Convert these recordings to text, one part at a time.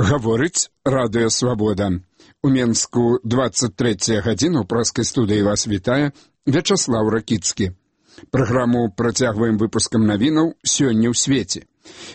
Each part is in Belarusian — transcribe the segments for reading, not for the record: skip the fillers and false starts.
Гаворыць Радыё Свабода. У Менску 23 гадзіна. У праскай студыі вас вітае Вячаслаў Ракіцкі. Праграму працягваем выпускам навінаў сёння ў свеце.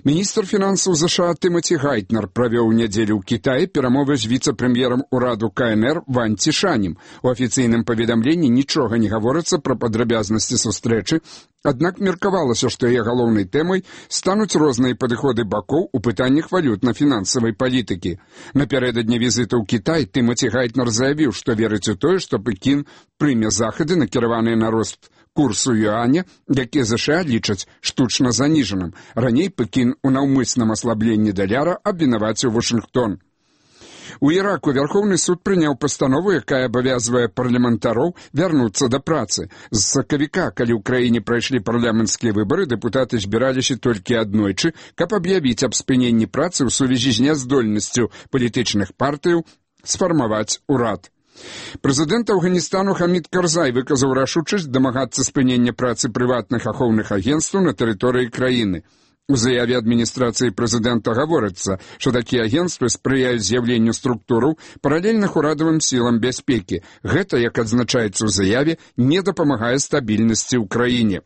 Міністр фінансаў ЗША Тымоті Гайтнер правёў у нядзелю ў Кітаі перамовы з віцэ-прэм'ерам ураду КНР Ван Цішанем. У афіцыйным паведамленні нічога не гаворыцца пра падрабязнасці сустрэчы, аднак меркавалася, што яе галоўнай тэмай стануць розныя падыходы бакоў у пытаннях валютна-фінансавай палітыкі. Напярэдадні візіту ў Кітай Тымоті Гайтнер заявіў, што верыць у тое, што Пекін прыме захады, накіраваныя на рост курсу юаня, які ЗША лічаць штучна заніжаным. Раней Пекін у наўмысным аслабленні даляра абвінаваціў Вашынгтон. У Іраку Вярхоўны суд прыняў пастанову, якая абавязвае парламентароў вярнуцца да працы. З сакавіка, калі ў краіне прайшлі парламенцкія выбары, дэпутаты збіраліся толькі аднойчы, каб аб'явіць аб спыненні працы ў сувязі з няздольнасцю палітычных партыяў сфармаваць урад. Прэзідэнт Афганістану Хамід Карзай выказаў рашучасць дамагацца спынення працы прыватных ахоўных агенцтваў на тэрыторыі краіны. У заяве адміністрацыі прэзідэнта гаворыцца, што такія агенцтвы спрыяюць з'яўленню структураў паралельных урадавым сілам бяспекі. Гэта, як адзначаецца ў заяве, не дапамагае стабільнасці ў краіне.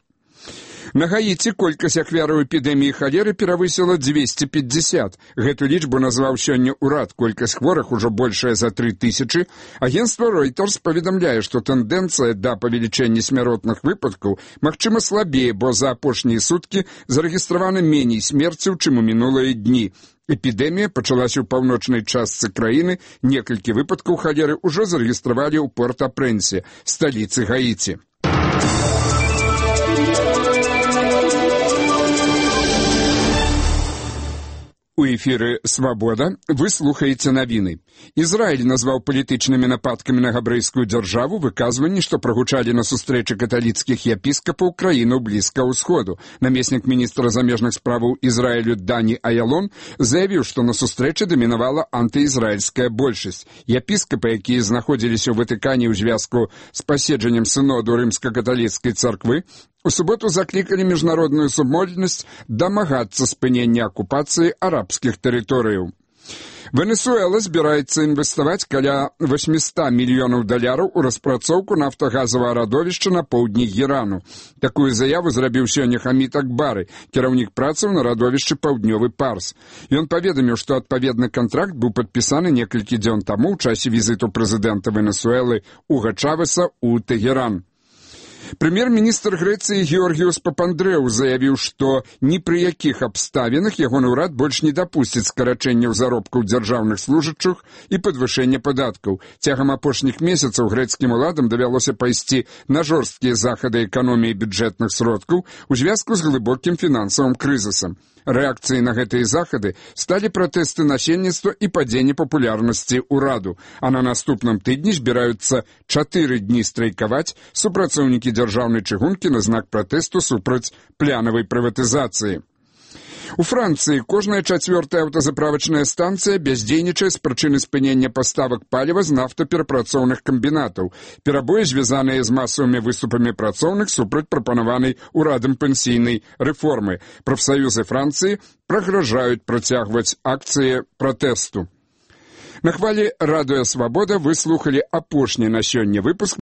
На Гаіці колькасць ахвяраў эпідэміі халеры перавысіла 250. Гэту лічбу назваў сёння ўрад. Колькасць хворых ужо большая за 3000. Агенцтва Reuters паведамляе, што тэндэнцыя да павелічэння смяротных выпадкаў магчыма слабее, бо за апошнія суткі зарэгістравана меней смерцяў, чым у мінулыя дні. Эпідэмія пачалася ў паўночнай частцы краіны. Некалькі выпадкаў халеры ўжо зарэгістравалі ў Порт-а-Прэнсе, сталіцы Гаіці. У эфіры «Свабода» вы слухаеце навіны. Ізраіль назваў палітычнымі нападкамі на габрэйскую дзяржаву выказванні, што прагучалі на сустрэчы каталіцкіх епіскапаў краінаў Блізкага ўсходу. Намеснік міністра замежных справаў Ізраілю Дані Аялон заявіў, што на сустрэчы дамінавала антыізраільская большасць. Епіскапы, якія знаходзіліся ў Ватыкане ў звязку з паседжаннем сыноду рымска-каталіцкай царквы, у суботу заклікалі міжнародную супольнасць дамагацца спынення акупацыі арабскіх тэрыторыяў. Венесуэла збіраецца інвеставаць каля $800 мільёнаў у распрацоўку нафтагазавага радовішча на поўдні Ірану. Такую заяву зрабіў сёння Хамід Акбары, кіраўнік працаў на радовішчы «Паўднёвы Парс». Ён паведаміў, што адпаведны кантракт быў падпісаны некалькі дзён таму ў часе візіту прэзідэнта Венесуэлы Уга Чавеса ў Тэгеран. Прэм'ер-міністр Грэцыі Георгіус Папандрэу заявіў, што ні пры якіх абставінах ягоны ўрад больш не дапусціць скарачэнняў заробкаў дзяржаўных служачых і падвышэння падаткаў. Цягам апошніх месяцаў грэцкім уладам давялося пайсці на жорсткія захады эканоміі бюджэтных сродкаў у звязку з глыбокім фінансавым крызісам. Рэакцыяй на гэтыя захады сталі пратэсты насельніцтва і падзенне папулярнасці ўраду, а на наступным тыдні збіраюцца 4 дні страйкаваць супрацоўнікі дзяржаўнай чыгункі на знак пратэсту супраць плянавай прыватызацыі. У Францыі кожная 4-я аўтазаправачная станцыя бяздзейнічае з прычыны спынення паставак паліва з нафтаперапрацоўных камбінатаў. Перабоі звязаныя з масавымі выступамі працоўных супраць прапанаванай урадам пенсійнай рэформы. Прафсаюзы Францыі прагражаюць працягваць акцыі пратэсту. На хвалі Радыё Свабода вы слухалі апошні на сёння выпуск